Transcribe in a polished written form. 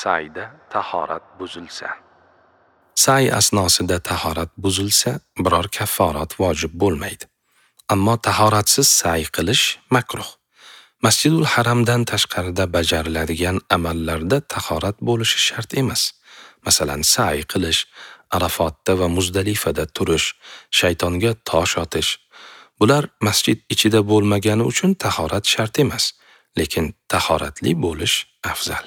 Sayda tahorat buzilsa. Say asnosida tahorat buzilsa, biror kafforat vojib bo'lmaydi. Ammo tahoratsiz say qilish makruh. Masjidul Haramdan tashqarida bajariladigan amallarda tahorat bo'lishi shart emas. Masalan, say qilish, Arafotda va Muzdalifada turish, shaytonga tosh otish. Bular masjid ichida bo'lmagani uchun tahorat shart emas, lekin tahoratli bo'lish afzal.